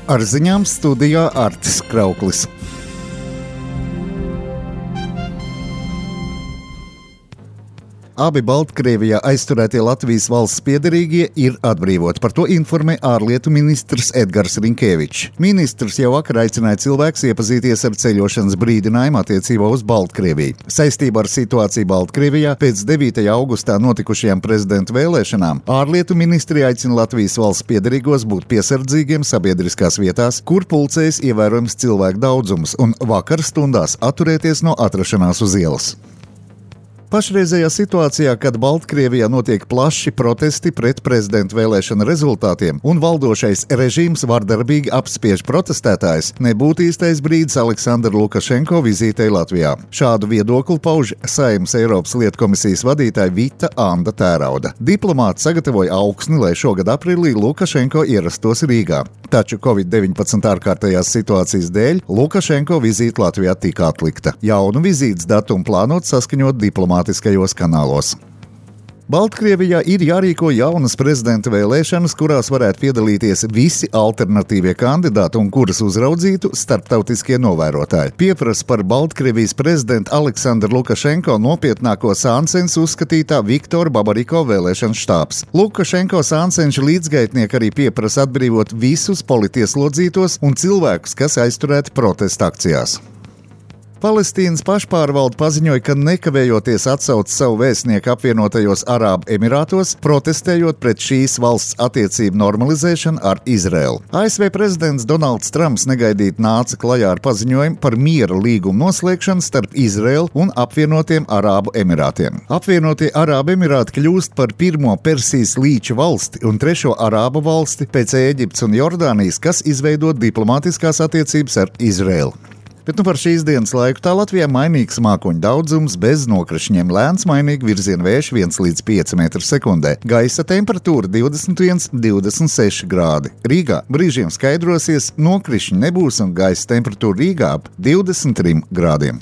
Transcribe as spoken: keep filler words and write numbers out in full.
Ar ziņām studijā Artis Krauklis. Abi Baltkrievijā aizturētie Latvijas valsts piederīgie ir atbrīvoti. Par to informē ārlietu ministrs Edgars Rinkēvičs. Ministrs jau vakar aicināja cilvēkus iepazīties ar ceļošanas brīdinājumu attiecībā uz Baltkrieviju. Saistībā ar situāciju Baltkrievijā pēc devītajā augustā notikušajām prezidentu vēlēšanām ārlietu ministrija aicina Latvijas valsts piederīgos būt piesardzīgiem sabiedriskās vietās, kur pulcējas ievērojams cilvēku daudzums, un vakar stundās atturēties no atrašanās uz ielas. Pašreizējā situācijā, kad Baltkrievijā notiek plaši protesti pret prezidentu vēlēšanu rezultātiem un valdošais režīms vardarbīgi apspiež protestētājus, nebūtu īstais brīdis Aleksandra Lukašenko vizītei Latvijā. Šādu viedokli pauž Saeimas Eiropas lietu komisijas vadītāja Vita Anda Tērauda. Diplomāti sagatavoja augsni, lai šogad aprīlī Lukašenko ierastos Rīgā. Taču covid deviņpadsmit ārkārtējās situācijas dēļ Lukašenko vizīte Latvijā tika atlikta. Jaunu vizītes datumu plānot saskaņot diplomātiskajos kanālos. Baltkrievijā ir jārīko jaunas prezidenta vēlēšanas, kurās varētu piedalīties visi alternatīvie kandidāti un kuras uzraudzītu starptautiskie novērotāji. Pieprasa par Baltkrievijas prezidenta Aleksandra Lukašenko nopietnāko sāncensu uzskatītā Viktora Babariko vēlēšanu štābs. Lukašenko sāncenša līdzgaitnieki arī pieprasa atbrīvot visus politieslodzītos un cilvēkus, kas aizturēti protesta akcijās. Palestīnas pašpārvalde paziņoja, ka nekavējoties atsauc savu vēstnieku apvienotajos Arābu Emirātos, protestējot pret šīs valsts attiecību normalizēšanu ar Izraēlu. A S V prezidents Donalds Trumps negaidīti nāca klajā ar paziņojumu par miera līgumu noslēgšanu starp Izraēlu un apvienotiem Arābu Emirātiem. Apvienotie Arābu Emirāti kļūst par pirmo Persijas līča valsti un trešo Arābu valsti pēc Ēģiptes un Jordānijas, kas izveido diplomātiskās attiecības ar Izraēlu. Bet nu par šīs dienas laiku tā Latvijā mainīgs mākoņu daudzums, bez nokrišņiem, lēns mainīgi virziena vējš viens līdz pieci metri sekundē. Gaisa temperatūra divdesmit viens līdz divdesmit seši grādi. Rīgā brīžiem skaidrosies, nokrišņi nebūs un gaisa temperatūra Rīgā ap divdesmit trim grādiem.